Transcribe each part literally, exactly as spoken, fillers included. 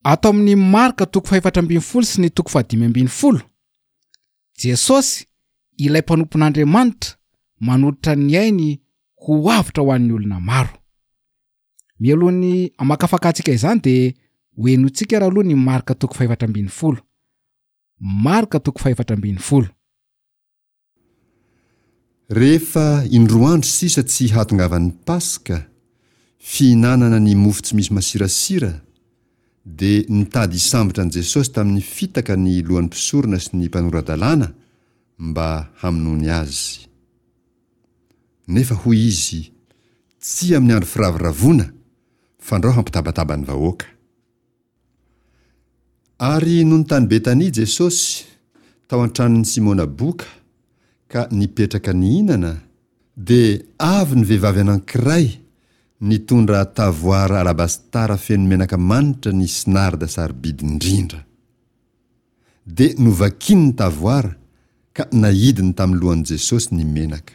Ato amin'ny Marka toko fahefatra ambin'ny folo sy ny toko fahadimy ambin'ny folo, Jesosy, ilay mpanompon'Andriamanitra, manolotra ny ainy ho avotra ho an'ny olona maro. Mialohan'ny hamakafakantsika izany dia ho henointsika raha aloha ny Marka toko fahefatra ambin'ny folo. Marka toko fahefatra ambin'ny folo. Rehefa indroa andro sisa tsy hahatongavan'ny Paska, fihinanana ny mofo tsy misy masirasira, dia nitady hisambotra an'i Jesosy tamin'ny fitaka ny lohan'ny mpisorona sy ny mpanora-dalàna mba hamonoany azy. Nefa hoy izy, Tsy amin'ny andro firavoravoana, fandrao hampitabataba ny vahoaka. Ary nony tany Betania Jesosy, tao an-tranon'i Simona boka, ka nipetraka nihinana, dia avy ny vehivavy anankiray nitondra tavoara alabastara feno menaka manitra nisy narda sarobidy indrindra. Dia novakiny ny tavoara ka naidiny tamin'ny lohan'i Jesosy ny menaka.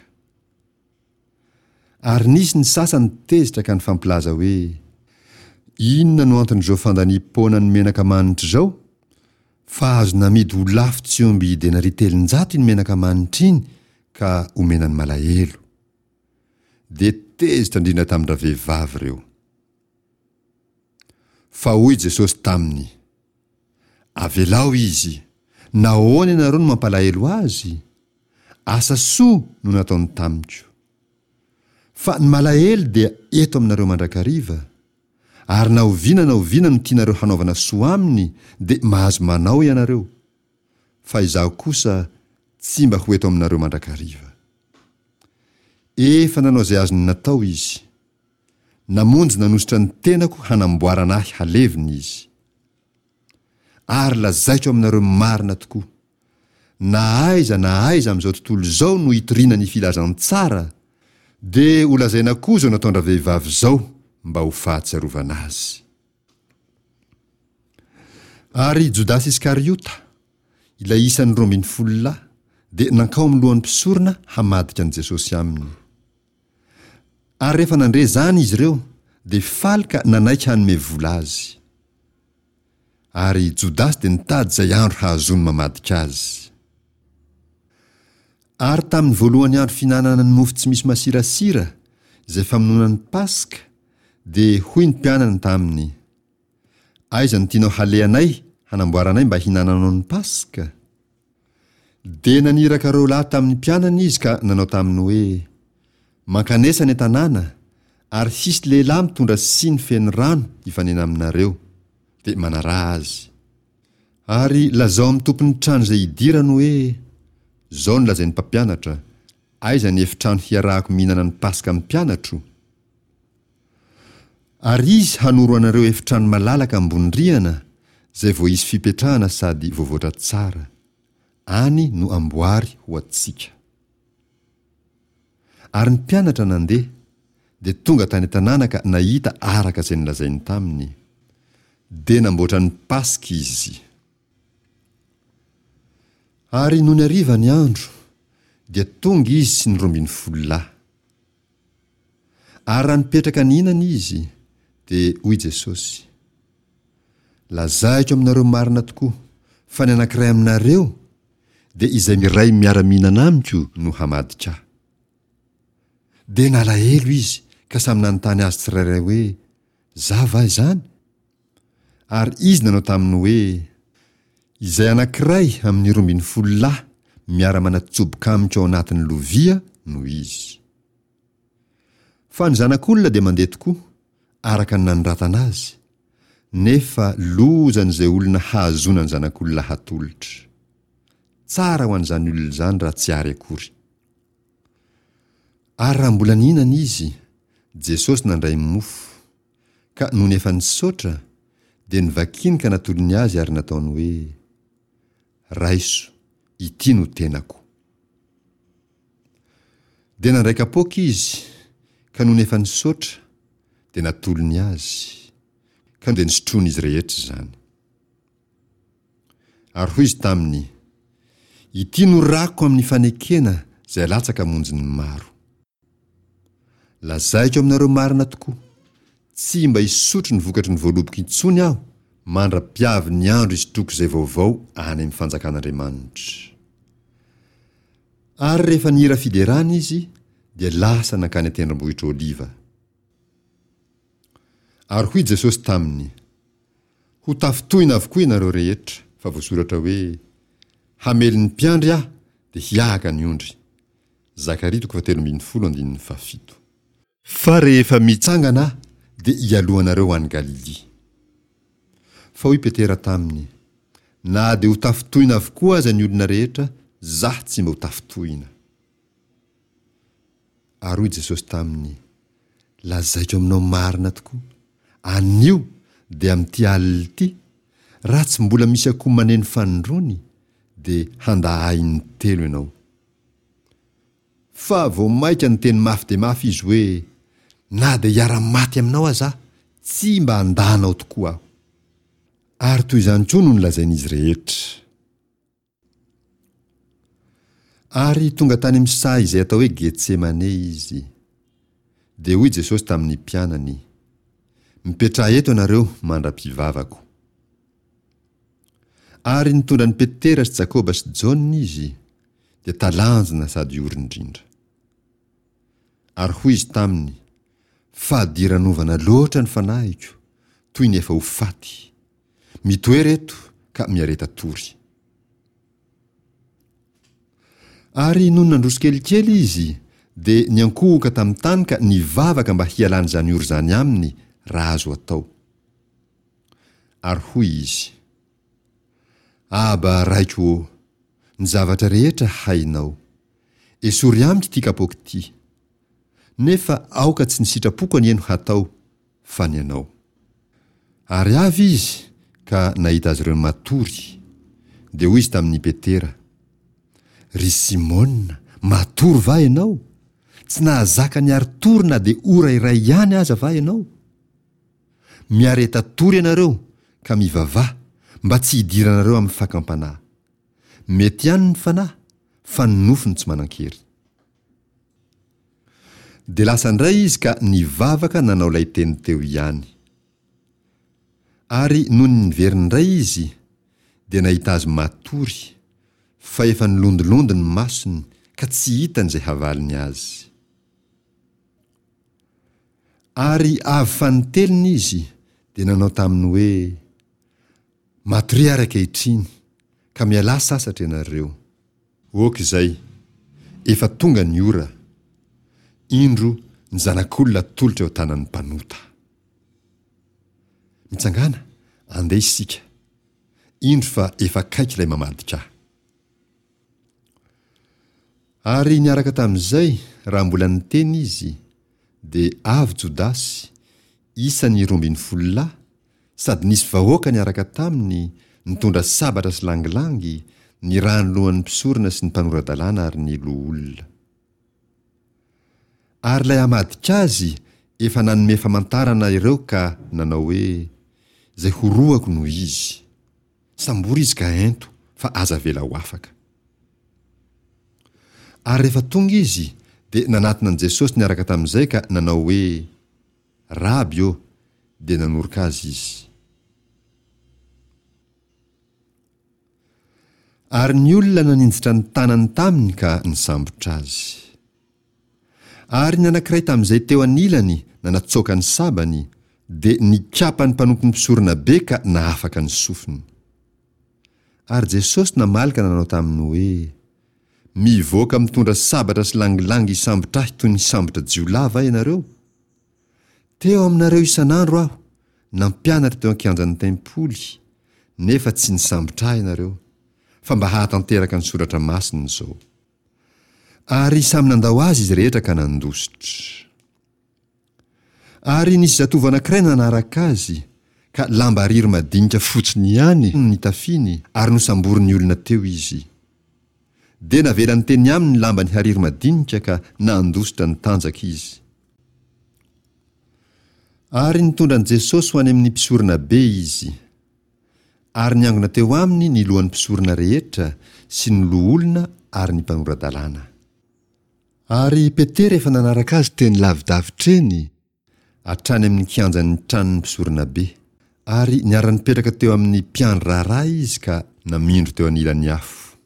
Ary nisy ny sasany tezitra ka nifampilaza hoe, Inona no anton'izao fandaniam-poana ny menaka manitra izao? Fa azo namidy ho lafo tsy omby denaria telonjato iny menaka manitra iny ka omena ny malahelo. Dia tezitra indrindra tamin-dravehivavy ireo. Fa hoy Jesosy taminy, Avelao izy, nahoana ianareo no mampalahelo azy? Asa soa no nataony tamiko. Fa ny malahelo dia eto aminareo mandrakariva, ary na oviana na oviana no tianareo hanaovana soa aminy dia mahazo manao ianareo, fa izaho kosa tsy mba ho eto aminareo mandrakariva. Efa nanao izay azony natao izy. Namonjy nanosotra ny tenako hanamboarana ahy halevina izy. Ary lazaiko aminareo marina tokoa, na aiza na aiza amin'izao tontolo izao no itoriana ny filazantsara, dia holazaina koa izao nataon-dravehivavy izao mba ho fahatsiarovana azy. Ary Jodasy Iskariota, ilay isan'ny roa ambin'ny folo lahy, dia nankao amin'ny lohan'ny mpisorona hamadika an'i Jesosy aminy. Ary rehefa nandre izany izy ireo, dia faly ka nanaiky hanome vola azy. Ary Jodasy dia nitady izay andro hahazoany mamadika azy. Ary tamin'ny voalohan'ny andro fihinanana ny mofo tsy misy masirasira, izay famonoana ny Paska, dia hoy ny mpianany taminy, Aiza no tianao halehanay hanamboaranay mba hinananao ny Paska? Dia naniraka roa lahy tamin'ny mpianany izy ka nanao taminy hoe, Mankanesa any an-tanàna, ary hisy lehilahy mitondra siny feno rano hifanena aminareo, dia manaraha azy. Ary lazao amin'ny tompon'ny trano izay hidirany hoe, Izao no lazain'ny mpampianatra, Aiza ny efitrano hiarahako mihinana ny Paska amin'ny mpianatro? Ary izy hanoro anareo efitrano malalaka ambony rihana izay voaisy fipetrahana sady voavoatra tsara. Any no amboary ho antsika. Ary ny mpianatra nandeha, dia tonga tany an-tanàna ka nahita araka izay nolazainy taminy. Dia namboatra ny Paska izy. Ary nony hariva ny andro, dia tonga izy sy ny roa ambin'ny folo lahy. Ary raha nipetraka nihinana izy, dia hoy Jesosy, Lazaiko aminareo marina tokoa, fa ny anankiray aminareo, dia izay miray miara-mihinana amiko no hamadika ahy. Dia nalahelo izy ka samy nanontany azy tsirairay hoe, Za va izany? Ary izy nanao taminy hoe, Izay anankiray amin'ny roa ambin'ny folo lahy miara-manatsoboka amiko ao anatin'ny lovia no izy. Fa ny Zanak'olona dia mandeha tokoa, araka ny nanoratana azy, nefa lozan'izay olona hahazoana ny Zanak'olona hatolotra. Tsara ho an'izany olona izany raha tsy ary akory. Ary raha mbola nihinana izy, Jesosy nandray mofo, ka nony efa nisaotra, dia novakiny ka natolony azy ary nataony hoe, Raiso, ity no tenako. Dia nandray kapoaka izy, ka nony efa nisaotra, dia natolony azy, ka dia nisotroin'izy rehetra izany. Ary hoy izy taminy, Ity no rako amin'ny fanekena izay alatsaka hamonjy ny maro. Lazaiko aminareo marina tokoa, tsy mba hisotro ny vokatry ny voaloboko intsony aho mandra-piavy ny andro hisotroako izay vaovao any amin'ny fanjakan'Andriamanitra. Ary rehefa nihira fiderana izy, dia lasa nankany an-tendrombohitra Oliva. Ary hoy Jesosy taminy, Ho tafintohina avokoa ianareo rehetra, fa voasoratra hoe, Hamely ny mpiandry aho, dia hiahaka ny ondry. Zakaria toko fahatelo ambin'ny folo andininy fahafito. Fa rehefa mitsangana aho, dia hialoha anareo ho any Galilia. Fa hoy Petera taminy, Na dia ho tafintohina avokoa aza ny olona rehetra, zaho tsy mba ho tafintohina. Ary hoy Jesosy taminy, Lazaiko aminao marina tokoa, anio, dia amin'ity alina ity, raha tsy mbola misy akoho maneno fanindroany, dia handà ahy intelo ianao. Fa vao mainka niteny mafy dia mafy izy hoe, Na dia hiara-maty aminao aza aho, tsy mba handà anao tokoa aho. Ary toy izany koa no nolazain'izy rehetra. Ary tonga tany amin'ny saha izay atao hoe Getsemane izy. Dia hoy Jesosy tamin'ny mpianany, Mipetraha eto ianareo mandra-pivavako. Ary nitondra an'i Petera sy Jakoba sy Jaona izy, dia talanjona sady ory indrindra. Ary hoy izy taminy, Fadiranovana loatra ny fanahiko, toy ny efa ho faty. Mitoera eto ka miareta tory. Ary nony nandroso kelikely izy, dia niankohoka tamin'ny tany ka nivavaka mba hialan'izany ory izany aminy raha azo atao. Ary hoy izy, Aba, Raiko ô, ny zavatra rehetra hainao. Esory amiko ity kapoaka ity. Nefa aoka tsy ny sitrapoko anie no hatao, fa ny anao. Ary avy izy ka nahita azy ireo matory. Dia hoy izy tamin'i Petera, Ry Simona, matory va ianao? Tsy nahazaka niari-tory na dia ora iray ihany aza va ianao? Miareta tory ianareo ka mivavaha mba tsy hidiranareo amin'ny fakam-panahy. Mety ihany ny fanahy, fa ny nofo no tsy manan-kery. Dia lasa indray izy ka nivavaka nanao ilay teny teo ihany. Ary nony niverina indray izy, dia nahita azy matory, fa efa nilondilondy ny masony ka tsy hitany izay havaliny azy. Ary avy fanintelony izy, dia nanao taminy hoe, Matoria ary ankehitriny, ka mialà sasatra ianareo. Ok izay, efa tonga ny ora. Indro ny Zanak'olona atolotra eo an-tanan'ny mpanota. Mitsangàna, andeha isika. Indro fa efa akaiky ilay mamadika ahy. Ary niaraka tamin'izay, raha mbola niteny izy, dia avy Jodasy, isan'ny roa ambin'ny folo lahy, sady nisy vahoaka niaraka taminy, nitondra sabatra sy langilangy, nirahan'ny lohan'ny mpisorona sy ny mpanora-dalàna ary ny loholona. Ary ilay hamadika azy efa nanome famantarana ireo ka nanao hoe, Izay horohako no izy. Sambory izy ka ento, fa aza avela ho afaka. Ary rehefa tonga izy, dia nanatona an'i Jesosy niaraka tamin'izay ka nanao hoe, Raby ô! Dia nanoroka azy izy. Ary ny olona naninjitra ny tanany taminy ka nisambotra azy. Ary ny anankiray tamin'izay teo anilany nanatsoaka ny sabany, dia nikapa ny mpanompon'ny mpisoronabe ka nahafaka ny sofiny. Ary Jesosy namaly ka nanao taminy hoe, Mivoaka mitondra sabatra sy langilangy hisambotra ahy toy ny hisambotra jiolahy va ianareo? Teo aminareo isan'andro aho, nampianatra teo an-kianjan'ny tempoly, nefa tsy nisambotra ahy ianareo, fa mba hahatanteraka ny soratra masina izao. Ary samy nandao azy izy rehetra ka nandositra. Ary nisy zatovo anankiray nanaraka azy, ka lamba hariry madinika fotsiny ihany no nitafiany, ary nosamborin'ny olona teo izy. Dia navelany teny aminy ny lambany hariry madinika ka nandositra nitanjaka izy. Ary nitondra an'i Jesosy ho any amin'ny mpisoronabe izy. Ary niangona teo aminy ny lohan'ny mpisorona rehetra sy ny loholona ary ny mpanora-dalàna. Ary Petera efa nanaraka azy teny lavidavitra eny, hatrany amin'ny kianjan'ny tranon'ny mpisoronabe. Ary niara-nipetraka teo amin'ny mpiandry raharaha izy ka namindro teo anilan'ny afo.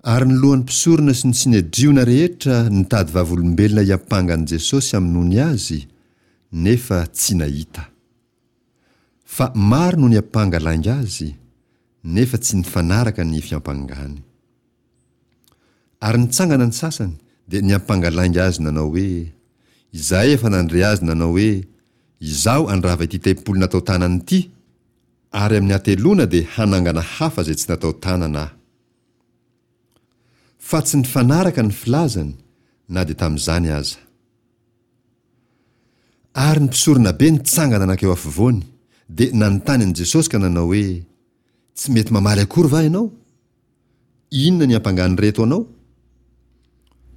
Ary ny lohan'ny mpisorona sy ny Synedriona rehetra nitady vavolombelona hiampanga an'i Jesosy hamonoany azy, nefa tsy nahita. Fa maro no niampanga lainga azy, nefa tsy nifanaraka ny fiampangany. Ary nitsangana ny sasany, dia niampanga lainga azy nanao hoe, Izahay efa nandre azy nanao hoe, Izaho handrava ity tempoly natao tanana ity, ary amin'ny hateloana dia hanangana hafa izay tsy natao tanana aho. Fa tsy nifanaraka ny filazany na dia tamin'izany aza. Ary ny mpisoronabe nitsangana nankeo afovoany, dia nanontany an'i Jesosy ka nanao hoe, Tsy mety mamaly akory va ianao? Inona ny ampangan'ireto anao?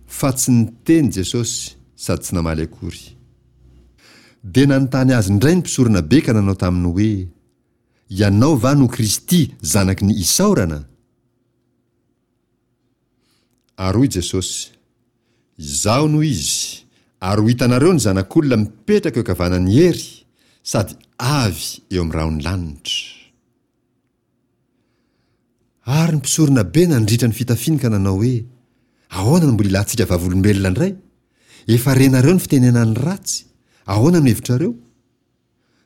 Fa tsy niteny Jesosy sady tsy namaly akory. Dia nanontany azy indray ny mpisoronabe ka nanao taminy hoe, Ianao va no Kristy Zanaky ny Isaorana? Ary hoy Jesosy, Izaho no Izy, ary ho hitanareo ny Zanak'olona mipetraka eo ankavanan'ny hery, sady avy eo amin'ny rahon'ny lanitra. Ary ny mpisoronabe nandritra ny fitafiany ka nanao hoe, Ahoana no mbola ilantsika vavolombelona indray? Efa renareo ny fitenenany ratsy, ahoana no hevitrareo?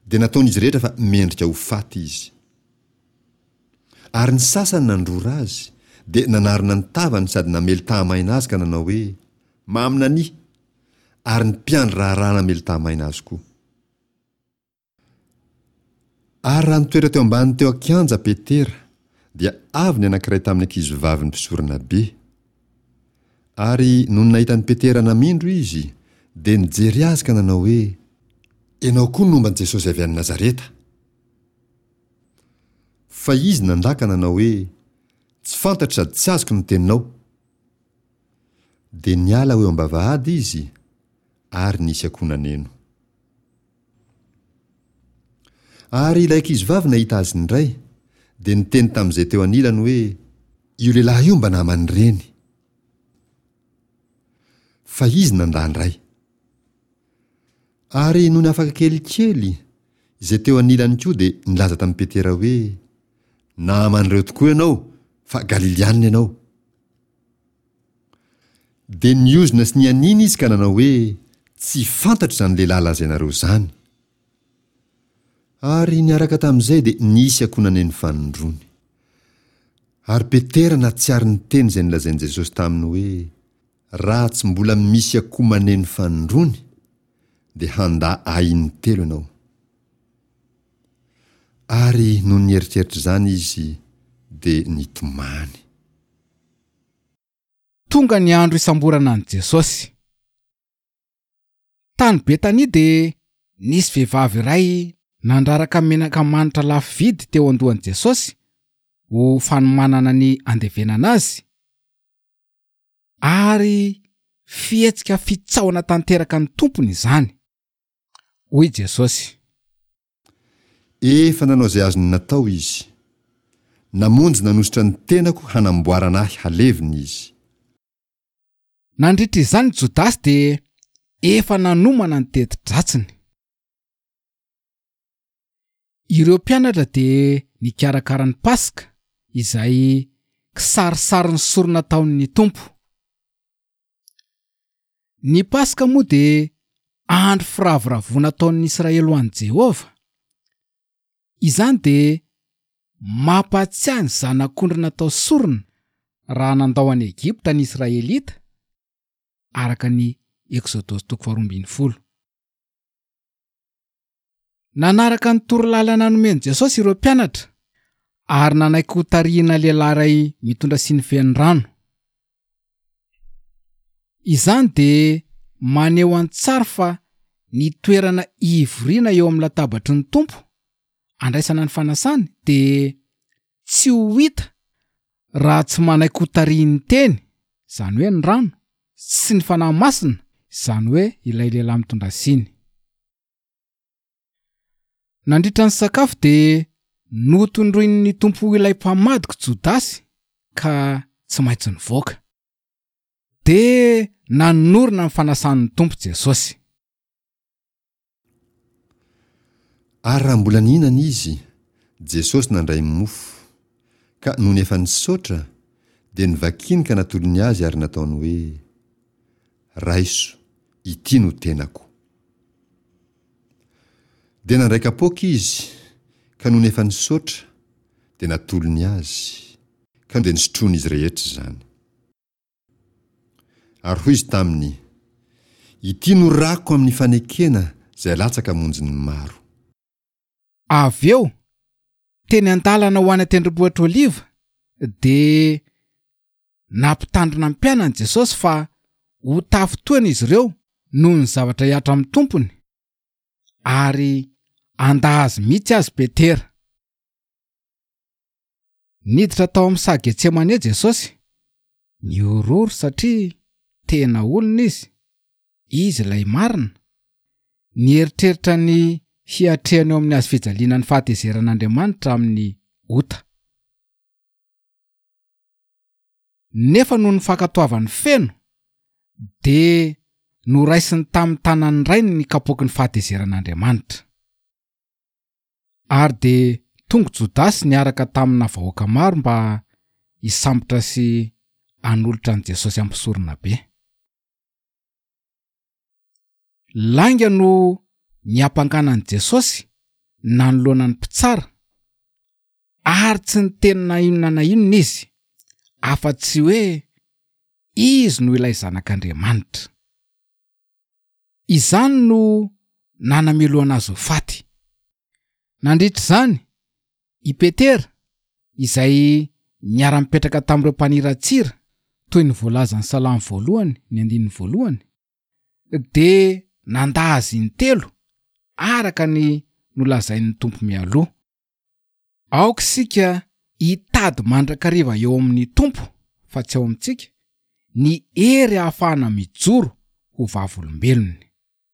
Dia nataon'izy rehetra fa mendrika ho faty izy. Ary ny sasany nandrora azy, dia nanarona ny tavany sady namely tahamaina azy ka nanao hoe, Maminania! Ary ny mpiandry raharaha namely tahamaina azy koa. Ary raha nitoetra teo ambany teo an-kianja Petera, dia avy ny anankiray tamin'ny ankizivavin'ny mpisoronabe. Ary nony nahita an'i Petera namindro izy, dia nijery azy ka nanao hoe, Ianao koa nomba an'i Jesosy avy any Nazareta. Fa izy nandà ka nanao hoe, Tsy fantatro sady tsy azoko ny teninao. Dia niala ho eo am-bavahady izy, ary nisy akoho naneno. Ary ilay ankizivavy nahita azy indray, dia niteny tamin'izay teo anilany hoe, Io lehilahy io mba naman'ireny. Fa izy nandà indray. Ary nony afaka kelikely, izay teo anilany koa dia nilaza tamin'i Petera hoe, Naman'ireo tokoa ianao, fa Galilianina ianao. Dia niozona sy nianiana izy ka nanao hoe, Tsy fantatro izany lehilahy lazainareo izany. Ary niaraka tamin'izay dia nisy akoho naneno fanindroany. Ary Petera nahatsiaro ny teny izay nolazain'i Jesosy taminy hoe, Raha tsy mbola misy akoho maneno fanindroany, dia handà Ahy intelo ianao. Ary nony nieritreritra izany izy, dia nitomany. Tonga ny andro hisamborana an'i Jesosy. Tany Betania dia nisy vehivavy iray nandraraka menaka manitra lafo vidy teo an-dohan'i Jesosy ho fanomanana ny handevenana azy. Ary fihetsika fitsaohana tanteraka ny Tompony izany. Hoy Jesosy. Efa nanao izay azony natao izy. Namonjy nanosotra ny tenako hanamboarana ahy halevina izy. Nandritra izany Jodasy dia efa nanomana ny teti-dratsiny. Ireo mpianatra dia nikarakara ny Paska, izay kisarisarin'ny sorona nataon'ny Tompo. Ny Paska moa dia andro firavoravoana ataon'ny Israely ho an'i Jehovah. Izany dia mampahatsiahy ny zanak'ondry natao sorona raha nandao an'i Egypta ny Israelita, araka ny Eksodosy toko faharoa ambin'ny folo. Nanaraka ny torolalana nomen'i Jesosy ireo mpianatra, ary nanaiky hotarihina lehilahy iray mitondra siny feno rano. Izany dia maneho an-tsary fa ny toerana ivoriana eo amin'ny latabatry ny Tompo, andraisana ny fanasany, dia tsy ho hita raha tsy manaiky hotarihin'ny Teny, izany hoe ny rano, sy ny Fanahy Masina, izany hoe ilay lehilahy mitondra siny. Nandritra ny sakafo dia notondroin'ny Tompo ho ilay mpamadiko Jodasy ka tsy maintsy nivoaka. Dia nanorina ny fanasan'ny Tompo Jesosy. Ary raha mbola nihinana izy, Jesosy nandray mofo, ka nony efa nisaotra, dia novakiny ka natolony azy ary nataony hoe, Raiso, ity no tenako. Dia nandray kapoaka izy, ka nony efa nisaotra, dia natolony azy, ka dia nisotroan'izy rehetra izany. Ary hoy izy taminy, Ity no rako amin'ny fanekena izay alatsaka hamonjy ny maro. Avy eo, teny an-dalana ho any an-tendrombohitra Oliva, dia nampitandrina ny mpianany Jesosy fa ho tafintohina izy ireo noho ny zavatra hihatra amin'ny Tompony, ary handà azy mihitsy azy Petera. Niditra tao amin'ny saha Getsemane Jesosy, nihorohoro satria tena olona izy, izy ilay marina. Nieritreritra ny hiatrehany eo amin'ny hazo fijaliana ny fahatezeran'Andriamanitra amin'ny ota. Nefa noho ny fankatoavany feno, dia noraisiny tamin'ny tanan'ny Rainy ny kapoaky ny fahatezeran'Andriamanitra. Ary dia tonga Jodasy niaraka tamina vahoaka maro mba hisambotra sy hanolotra an'i Jesosy amin'ny mpisoronabe. Lainga no niampangana an'i Jesosy nanoloana ny mpitsara, ary tsy niteny na inona na inona izy, afa-tsy hoe izy no ilay Zanak'Andriamanitra. Izany no nanamelohana azy ho faty. Nandritra izany, i Petera, izay niara-nipetraka tamin'ireo mpaniratsira, toy ny voalazan'ny Salamo voalohany, ny andininy voalohany, dia nandà azy intelo, araka ny nolazain'ny Tompo mialoha. Aoka isika hitady mandrakariva eo amin'ny Tompo, fa tsy ao amintsika, ny hery ahafahana mijoro ho vavolombelony.